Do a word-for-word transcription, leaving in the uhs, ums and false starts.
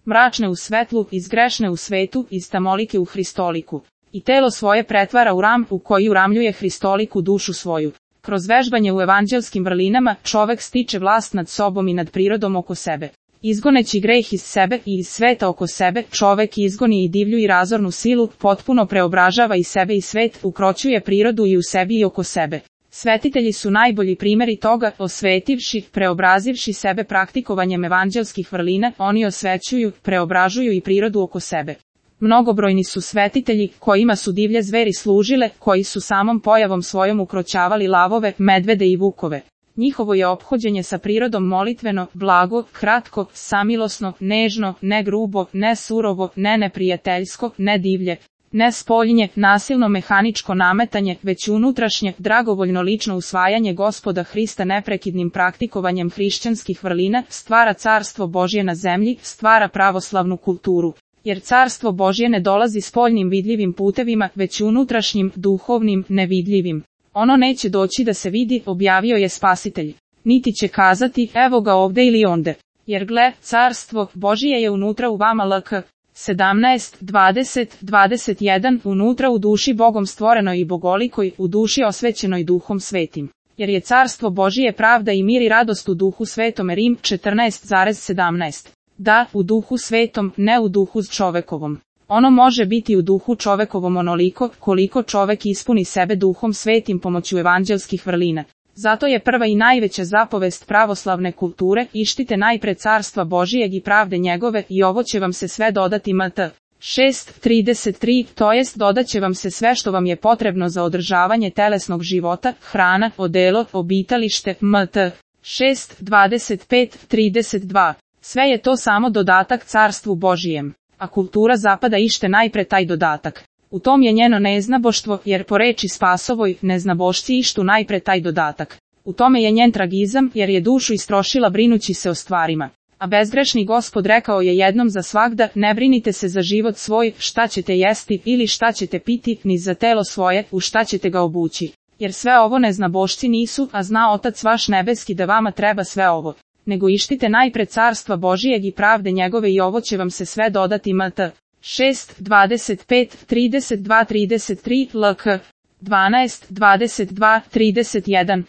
mračne u svetlu, iz grešne u svetu, iz tamolike u hristoliku. I telo svoje pretvara u ram u koji uramljuje hristoliku dušu svoju. Kroz vežbanje u evanđelskim vrlinama čovek stiče vlast nad sobom i nad prirodom oko sebe. Izgoneći greh iz sebe i iz sveta oko sebe, čovek izgoni i divlju i razornu silu, potpuno preobražava i sebe i svet, ukroćuje prirodu i u sebi i oko sebe. Svetitelji su najbolji primjeri toga, osvetivši, preobrazivši sebe praktikovanjem evanđelskih vrlina, oni osvećuju, preobražuju i prirodu oko sebe. Mnogobrojni su svetitelji, kojima su divlje zveri služile, koji su samom pojavom svojom ukroćavali lavove, medvede i vukove. Njihovo je ophođenje sa prirodom molitveno, blago, kratko, samilosno, nežno, ne grubo, ne surovo, ne neprijateljsko, ne divlje, ne spoljnje, nasilno mehaničko nametanje, već unutrašnje, dragovoljno lično usvajanje Gospoda Hrista neprekidnim praktikovanjem hrišćanskih vrlina, stvara carstvo Božje na zemlji, stvara pravoslavnu kulturu. Jer carstvo Božje ne dolazi spoljnim vidljivim putevima, već unutrašnjim, duhovnim, nevidljivim. Ono neće doći da se vidi, objavio je Spasitelj. Niti će kazati, evo ga ovde ili onde. Jer gle, carstvo Božije je unutra u vama lk. sedamnaest, dvadeset, dvadeset jedan, unutra u duši Bogom stvorenoj i bogolikoj, u duši osvećenoj Duhom Svetim. Jer je carstvo Božije pravda i mir i radost u Duhu Svetome. Rim četrnaest sedamnaest. Da, u Duhu Svetom, ne u duhu čovekovom. Ono može biti u duhu čovekovom onoliko, koliko čovek ispuni sebe Duhom Svetim pomoću evanđelskih vrlina. Zato je prva i najveća zapovest pravoslavne kulture, ištite najpre carstva Božijeg i pravde njegove, i ovo će vam se sve dodati. Mat. šest trideset tri, to jest dodat će vam se sve što vam je potrebno za održavanje telesnog života, hrana, odelo, obitalište. Mat. šest dvadeset pet trideset dva. Sve je to samo dodatak carstvu Božijem, a kultura zapada ište najpre taj dodatak. U tom je njeno neznaboštvo, jer po reči Spasovoj, neznabošci ištu najpre taj dodatak. U tome je njen tragizam, jer je dušu istrošila brinući se o stvarima. A bezgrešni Gospod rekao je jednom za svagda, ne brinite se za život svoj, šta ćete jesti ili šta ćete piti, ni za telo svoje, u šta ćete ga obući. Jer sve ovo neznabošci nisu, a zna Otac vaš nebeski da vama treba sve ovo. Nego ištite najpred carstva Božijeg i pravde njegove i ovo će vam se sve dodati. Mat. šest dvadeset pet trideset dva trideset tri, lk. dvanaest dvadeset dva trideset jedan.